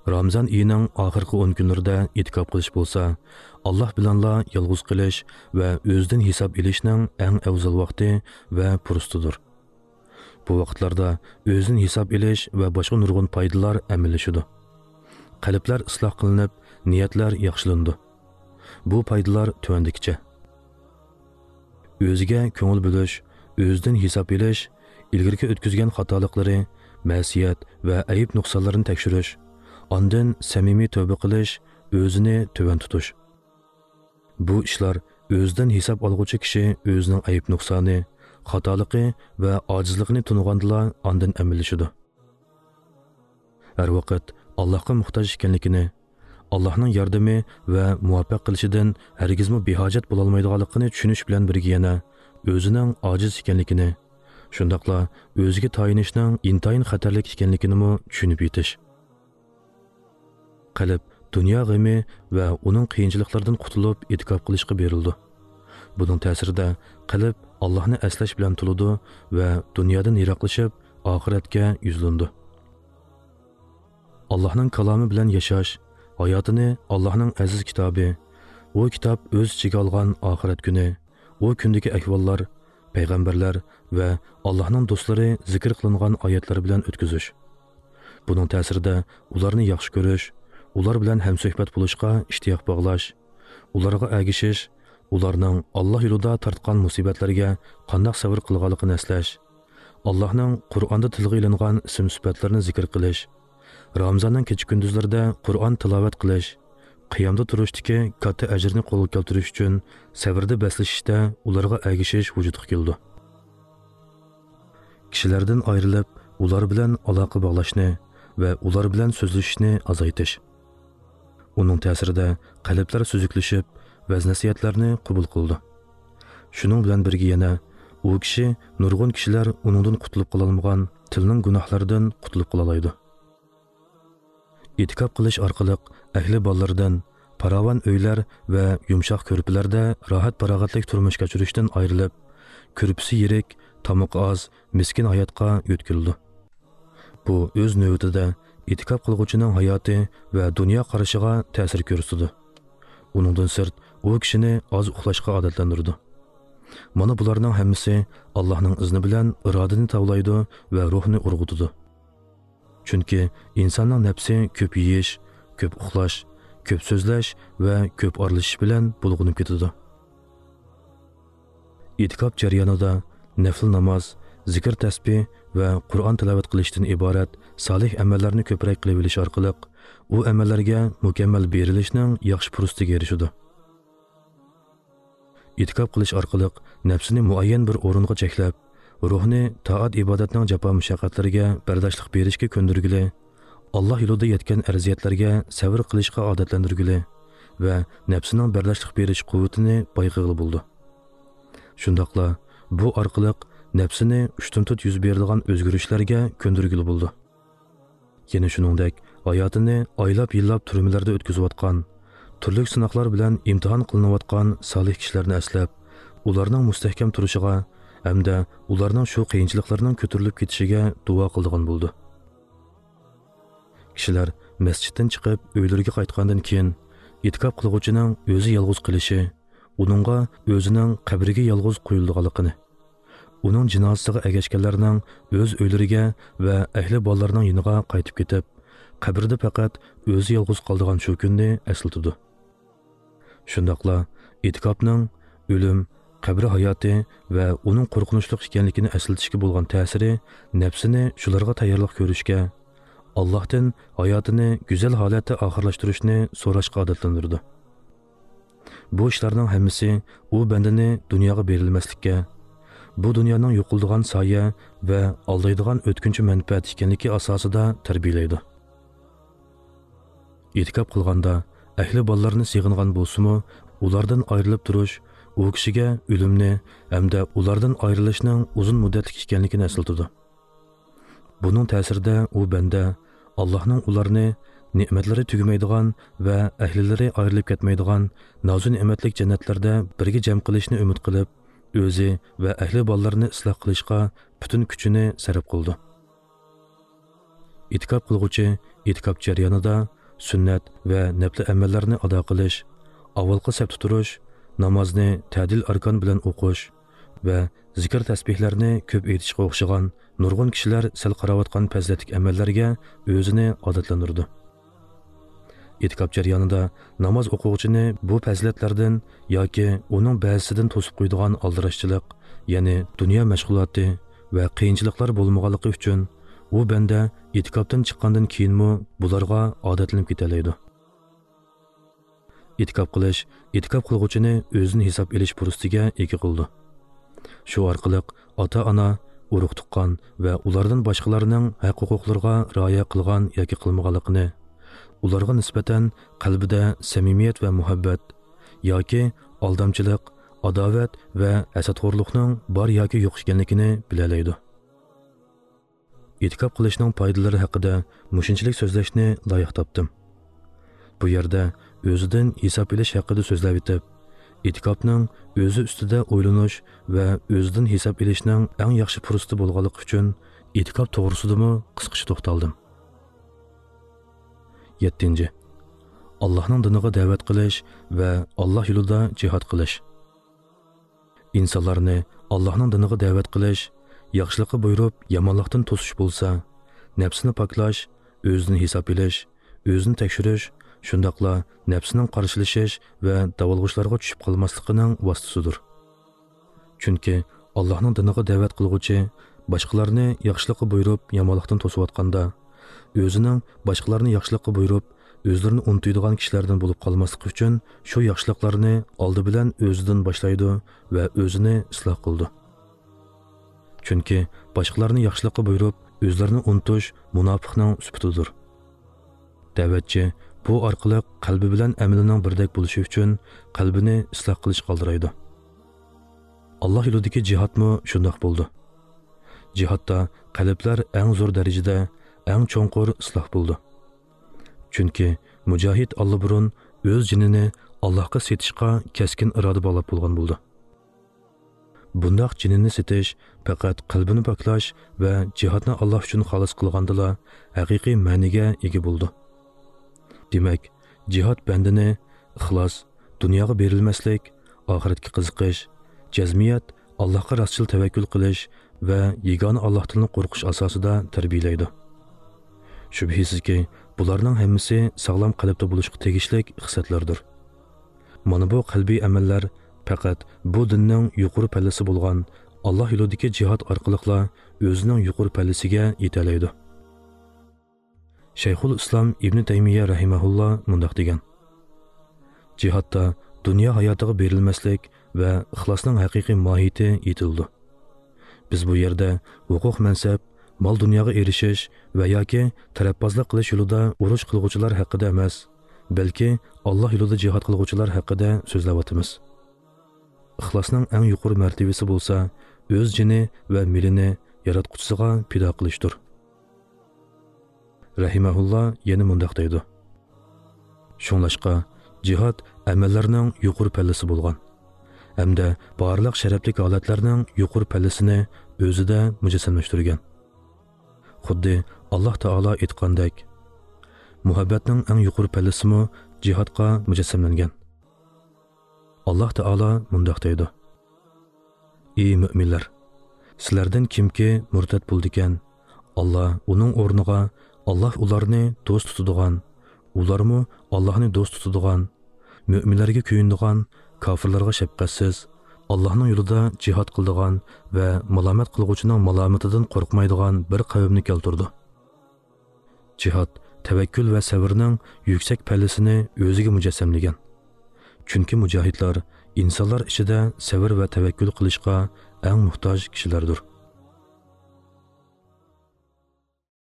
Ramazon oyining oxirgi 10 kunlarida e'tikof qilish bo'lsa, Alloh bilanla yolg'iz qilish va o'zidan hisob ilishning eng afzal vaqti va fursatidir. Bu vaqtlarda o'zidan hisob ilish va boshqa nurg'un foydalar amallashadi. Qalblar isloh qilinib, niyatlar yaxshilandi. Bu foydalar tuvandikicha: o'ziga ko'ngil bo'lish, o'zidan hisob ilish, ilgirki o'tkazgan xatoliklari, ma'siyat va ayib nuqsonlarini tekshirish, ondan samimiy tavba qilish, o'zini tuvan tutish. Bu ishlar o'zidan hisob olg'uchi kishi o'zining ayib nuqsoni, xatoligi va ojizligini tunug'andila ondan amallashadi. Har vaqt Allohga muhtoj ekanligini, Allohning yordami va muvaffaq qilishidan hargizmi behojat bo'lolmaydiganligini tushunish bilan birga yana o'zining ojiz ekanligini, shundoqla o'ziga tayinishning intayin xatarlik ekanligini tushunib yetish. Qalb dunyo g'ami va uning qiyinchiliklaridan qutulib e'tikof qilishga berildi. Buning ta'sirida qalb Allohni aslash bilan to'ladi va dunyodan yiroqlashib oxiratga yuzlandi. Allohning kalomi bilan yashash, hayotini Allohning aziz kitobi, u kitob o'z ichiga olgan oxirat kuni, u kundagi ahvollar, payg'ambarlar va Allohning do'stlari zikr qilingan oyatlar bilan o'tkazish. Buning ta'sirida ularni yaxshi ko'rish, ular bilan hamsuhbat bo'lishga ishtiyoq bog'lash, ularga ergashish, ularning Alloh yo'lida tortgan musibatlarga qandoq sabr qilganligini eslash, Allohning Qur'onda tilga ilingan ism sifatlarini zikr qilish, Ramazonning kecha kunduzlarida Qur'on tilovat qilish, qiyomda turishdagi katta ajrni qo'lga keltirish uchun sabrda baslashishda ularga ergashish vujudga keldi. Kishilardan ayrilib, ular bilan aloqa bog'lashni va ular bilan so'zlashishni azaytish. Uning ta'sirida qalblar suzuklashib, vaz nasihatlarni qabul qildi. Shuning bilan birga yana u kishi nurg'un kishilar uningdan qutulib qololmagan tilning gunohlaridan qutulib qola oladi. E'tikof qilish orqali ahli bolalardan paravon uylar va yumshoq ko'rpalarda rohat farog'atlik turmush kechirishdan ayrilib, ko'rpisi yirik, tomoqi oz, miskin hayotga yo'tkildi. Bu o'z navbatida e'tikof qilg'uchining hayoti va dunyo qarashiga ta'sir ko'rsatdi. Uningdan sirt u kishini oz uxlashga odatlantirdi. Mana bularning hammasi Allohning izni bilan irodani tavlaydi va ruhni urg'utadi. Chunki insonning nafsi ko'p yeyish, ko'p uxlash, ko'p so'zlash va ko'p aralashish bilan bulg'unib ketadi. E'tikof jarayonida nafl namoz, zikr tasbih va Qur'on tilovat qilishdan iborat solih amallarni ko'proq qilib olish orqali u amallarga mukammal berilishning yaxshi fursatiga erishadi. E'tikof qilish orqali nafsini muayyan bir o'ringa cheklab, ruhni toat ibodatning jafo mushaqqatlariga bardoshlik berishga ko'ndirgili, Alloh yo'lida yetgan arziyatlarga sabr qilishga odatlantirgili va nafsining bardoshlik berish quvvatini boyqig'ili bo'ldi. Shundoqla bu orqali nafsini ushtumtut yuz beradigan o'zgarishlarga ko'ndirgili bo'ldi. Yana shuningdek, hayotini oylab yillab turmalarda o'tkazayotgan, turli sinoqlar bilan imtihon qilinayotgan solih kishilarni eslab, ularning mustahkam turishiga hamda ularning shu qiyinchiliklarning ko'tarilib ketishiga duo qildigan bo'ldi. Kishilar masjiddan chiqib uylariga qaytgandan keyin e'tikof qilg'uchining o'zi yolg'iz qilishi, uningga o'zining qabriga yolg'iz qo'yilganligini, uning jinozasiga ergashganlarning o'z uylariga va ahli bolalarning yoniga qaytib ketib, qabrda faqat o'zi yolg'iz qoldigan shu kunni eslatadi. Shundoqla e'tikofning o'lim, qabri hayoti va uning qo'rqinchli ekanligini eslatishga bo'lgan ta'siri nafsini shularga tayyorlik ko'rishga, Allohdan hayotini go'zal holatda oxirlashtirishni so'rashga odatlantirdi. Bu ishlarning hammasi u bandani dunyoga berilmaslikka, bu dunyoning yo'qoldigan soya va aldaydigan o'tkinchi manfaat ekanligi asosida tarbiyalaydi. E'tikof qilganda ahli bolalarni sig'ingan bo'lsa-mu, ulardan ayrilib turish u kishiga o'limni hamda ulardan ayrilishning uzun muddatlik ekanligini eslatadi. Buning ta'sirida u banda Allohning ularni ne'matlari tugamaydigan va ahlilari ayrilib ketmaydigan nozu ne'matlik jannatlarda birga jam qilishni umid qilib, o'zi va ahli bolalarini isloh qilishga butun kuchini sarf qildi. E'tikof qilg'uchi e'tikof jarayonida sunnat va nafli amallarni ado qilish, avvalqi safda turish, namozni ta'dil arkon bilan o'qish va zikr tasbihlarni ko'p aytishga o'xshagan nurg'un kishilar sal qarayotgan fazilatli amallarga o'zini odatlantirdi. E'tikof jarayonida namoz o'quvchini bu fazilatlardan yoki uning ba'zisidan to'sib qo'ydigan aldirashchilik, ya'ni dunyo mashg'uloti va qiyinchiliklar bo'lmaganligi uchun u banda e'tikofdan chiqqandan keyinmi bularga odatlanib ketalaydi. E'tikof qilish e'tikof qilg'uvchini o'zini hisob elish fursatiga ega qildi. Shu orqali ota-ona, urug' tuqqan va ulardan boshqalarning haq-huquqlariga rioya qilgan yoki qilmaganligini, ularga nisbatan qalbida samimiyat va muhabbat yoki aldamchilik, adovat va hasadxo'rlikning bor yoki yo'q ekanligini bilalaydi. E'tikof qilishning foydalari haqida mushunchalik so'zlashni loyiq topdim. Bu yerda o'zidan hisob elish haqida so'zlab o'tib, e'tikofning o'zi ustida o'ylanish va o'zidan hisob elishning eng yaxshi fursati bo'lganligi uchun e'tikof to'g'risidami qisqacha to'xtaldim. 7. Allohning diniga da'vat qilish va Alloh yo'lida jihad qilish. Insonlarni Allohning diniga da'vat qilish, yaxshilikqa buyurib, yomonlikdan to'sish bo'lsa, nafsini poklash, o'zini hisob elish, o'zini tekshirish, shundoqla nafsining qarshilashish va davolg'uchlarga tushib qolmasligining vositasidir. Chunki Allohning diniga da'vat qilg'uchi boshqalarni yaxshilikqa buyurib, yomonlikdan to'sayotganda, o'zining boshqalarni yaxshilikqa buyurib, o'zlarini unutadigan kishilardan bo'lib qolmasligi uchun shu yaxshiliklarni oldi bilan o'zidan boshlaydi va o'zini isloh qildi. Chunki boshqalarni yaxshilikqa buyurib, o'zlarini unutish munofiqning sifatidir. Da'vatchi bu orqali qalbi bilan amalining birdek bo'lishi uchun qalbini isloh qilish qoldiraydi. Alloh yo'lidagi jihodmi shundoq bo'ldi. Jihodda qalblar eng zo'r darajada, eng cho'nqur isloh bo'ldi. Chunki mujohid allaburun o'z jinini Allohga setishga keskin iroda bog'lab bo'lgan bo'ldi. Bundaq jinini setish faqat qalbini poklash va jihodni Alloh uchun xolis qilgandila haqiqiy ma'niga ega bo'ldi. Demak, jihod bandini ixlos, dunyoga berilmaslik, oxiratga qiziqish, jazmiyat, Allohga rostchil tavakkul qilish va yagona Allohdan qo'rqish asosida tarbiyalaydi. Shubhisizki, bularning hammasi sog'lom qalbda bo'lishga tegishli xislatlardir. Mana bu qalbiy amallar faqat bu dinning yuqori pallasi bo'lgan Alloh yo'lidagi jihod orqali o'zining yuqori pallasiga yetalaydi. Shayxul Islom Ibn Taymiya rahimahulloh mundoq degan: jihodda dunyo hayotiga berilmaslik va ixlosning haqiqiy mohiyati yetildi. Biz bu yerda huquq, mansab, mol dunyoga erishish va yoki tarafbozlik qilish yo'lida urush qilg'uvchilar haqida emas, balki Alloh yo'lida jihod qilg'uvchilar haqida so'zlayotimiz. Ixlosning eng yuqori martabasi bo'lsa, o'z jini va milini yaratquchisiga fido qilishdir. Rahimahulloh yana mundoq deydi: shunglashqa jihod amallarning yuqori pallasi bo'lgan hamda barliq sharafli holatlarning yuqori pallasini o'zida mujassamlashtirgan. Xuddi Alloh taolo aytgandek, muhabbatning eng yuqori pallasimi jihodga mujassamlangan. Alloh taolo mundoq deydi: ey mo'minlar, sizlardan kimki murtad bo'ldi ekan, Alloh uning o'rniga Alloh ularni do'st tutadigan, ularmi Allohni do'st tutadigan, mo'minlarga kuyindigan, kofirlarga shafqatsiz, Allohning yo'lida jihod qildigan va malomat qilg'uvchining malomatidan qo'rqmaydigan bir qavmni keltirdi. Jihod tavakkul va sabrning yuksak pallasini o'ziga mujassamlagan. Chunki mujohidlar insonlar ichida sabr va tavakkul qilishga eng muhtoj kishilardir.